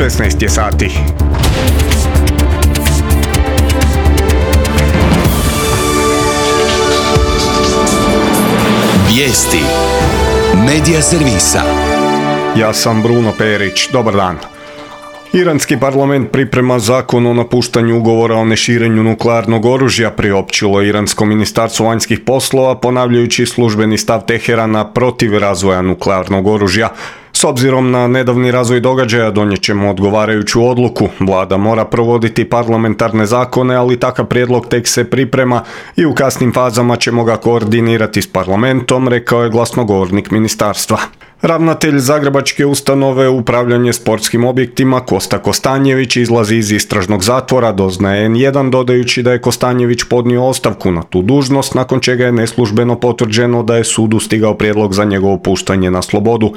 16 je sati. Vijesti Medija servisa. Ja sam Bruno Perić. Dobar dan. Iranski parlament priprema zakon o napuštanju ugovora o neširenju nuklearnog oružja, priopćilo Iransko ministarstvo vanjskih poslova, ponavljajući službeni stav Teherana protiv razvoja nuklearnog oružja. S obzirom na nedavni razvoj događaja donijet ćemo odgovarajuću odluku. Vlada mora provoditi parlamentarne zakone, ali takav prijedlog tek se priprema i u kasnim fazama ćemo ga koordinirati s parlamentom, rekao je glasnogovornik ministarstva. Ravnatelj Zagrebačke ustanove upravljanje sportskim objektima Kosta Kostanjević izlazi iz istražnog zatvora, doznaje N1, dodajući da je Kostanjević podnio ostavku na tu dužnost, nakon čega je neslužbeno potvrđeno da je sudu stigao prijedlog za njegovo puštanje na slobodu.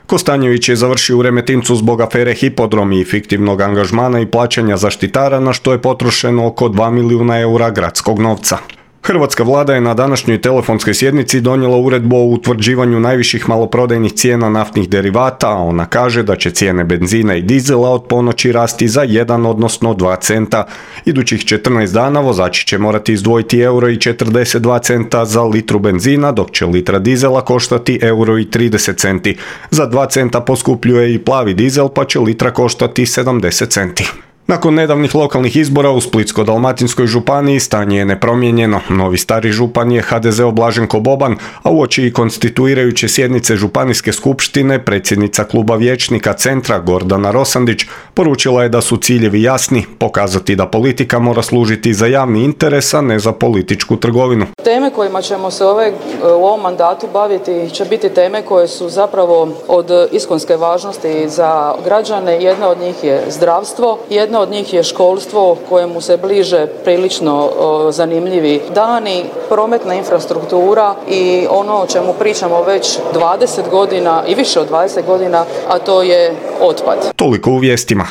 Kostanjević je završio u Remetincu zbog afere Hipodrom i fiktivnog angažmana i plaćanja zaštitara, na što je potrošeno oko 2 milijuna eura gradskog novca. Hrvatska vlada je na današnjoj telefonskoj sjednici donijela uredbu o utvrđivanju najviših maloprodajnih cijena naftnih derivata, a ona kaže da će cijene benzina i dizela od ponoći rasti za 1 odnosno 2 centa. Idućih 14 dana vozači će morati izdvojiti €1,42 za litru benzina, dok će litra dizela koštati €1,30. Za 2 centa poskupljuje i plavi dizel, pa će litra koštati 70 centi. Nakon nedavnih lokalnih izbora u Splitsko-dalmatinskoj županiji stanje je nepromijenjeno. Novi stari župan je HDZ-ov Blaženko Boban, a uoči i konstituirajuće sjednice županijske skupštine predsjednica kluba vijećnika Centra Gordana Rosandić poručila je da su ciljevi jasni, pokazati da politika mora služiti za javni interes, a ne za političku trgovinu. Teme kojima ćemo se u ovom mandatu baviti će biti teme koje su zapravo od iskonske važnosti za građane. Jedna od njih je zdravstvo, jedna od njih je školstvo kojemu se bliže prilično zanimljivi dani, prometna infrastruktura i ono o čemu pričamo već 20 godina i više od 20 godina, a to je otpad. Toliko u vijestima.